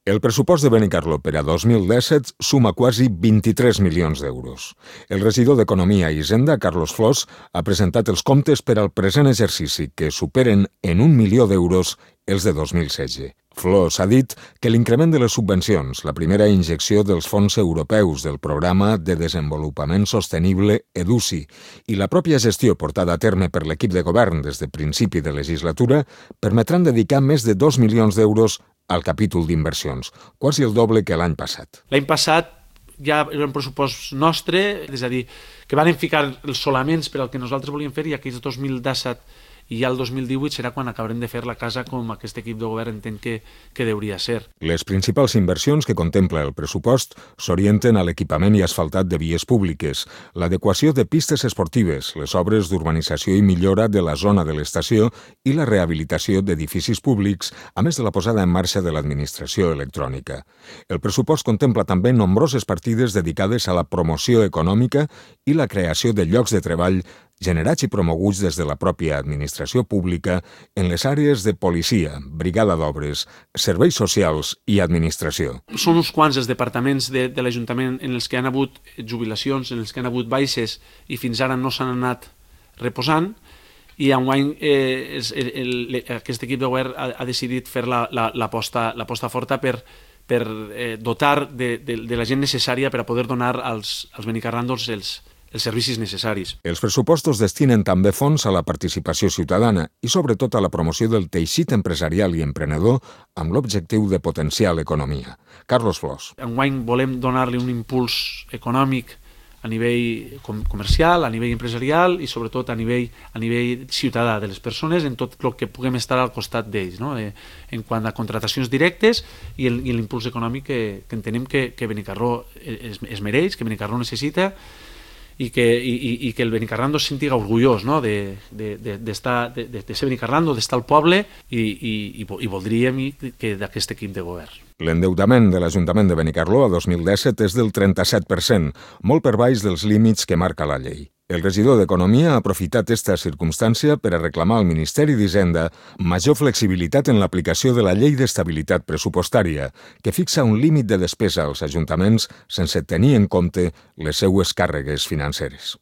El pressupost de Benicarló per a 2017 suma quasi 23 milions d'euros. El regidor d'Economia i Hisenda, Carlos Flors, ha presentat els comptes per al present exercici, que superen en 1 milió d'euros els de 2016. Flors ha dit que l'increment de les subvencions, la primera injecció dels fons europeus del Programa de Desenvolupament Sostenible EDUSI i la pròpia gestió portada a terme per l'equip de govern des de principi de legislatura permetran dedicar més de 2 milions d'euros al capítol d'inversions, quasi el doble que l'any passat. L'any passat ja era un pressupost nostre, és a dir, que van ficar els solaments per al que nosaltres volíem fer i aquells 2017 i ja el 2018 serà quan acabarem de fer la casa com aquest equip de govern entén que hauria ser. Les principals inversions que contempla el pressupost s'orienten a l'equipament i asfaltat de vies públiques, l'adequació de pistes esportives, les obres d'urbanització i millora de la zona de l'estació i la rehabilitació d'edificis públics, a més de la posada en marxa de l'administració electrònica. El pressupost contempla també nombroses partides dedicades a la promoció econòmica i la creació de llocs de treball generats i promoguts des de la pròpia administració pública en les àrees de policia, brigada d'obres, serveis socials i administració. Són uns quants els departaments de l'Ajuntament en els que han hagut jubilacions, en els que han hagut baixes i fins ara no s'han anat reposant i enguany aquest equip de govern ha decidit fer l'aposta forta per dotar de la gent necessària per a poder donar als benicarrandos els servicis necessaris. Els pressupostos destinen també fons a la participació ciutadana i sobretot a la promoció del teixit empresarial i emprenedor amb l'objectiu de potenciar l'economia. Carlos Flors. Enguany volem donar-li un impuls econòmic a nivell comercial, a nivell empresarial i sobretot a nivell ciutadà de les persones en tot el que puguem estar al costat d'ells, no? En quant a contratacions directes i l'impuls econòmic que entenem que Benicarló es mereix, que Benicarló necessita i que el benicarrando se sentiga orgullós, no? de ser benicarrando, d'estar al poble i voldríem que d'aquest equip de govern. L'endeutament de l'Ajuntament de Benicarló a 2017 és del 37%, molt per baix dels límits que marca la llei. El regidor d'Economia ha aprofitat aquesta circumstància per a reclamar al Ministeri d'Hisenda major flexibilitat en l'aplicació de la Llei d'Estabilitat Pressupostària, que fixa un límit de despesa als ajuntaments sense tenir en compte les seues càrregues financeres.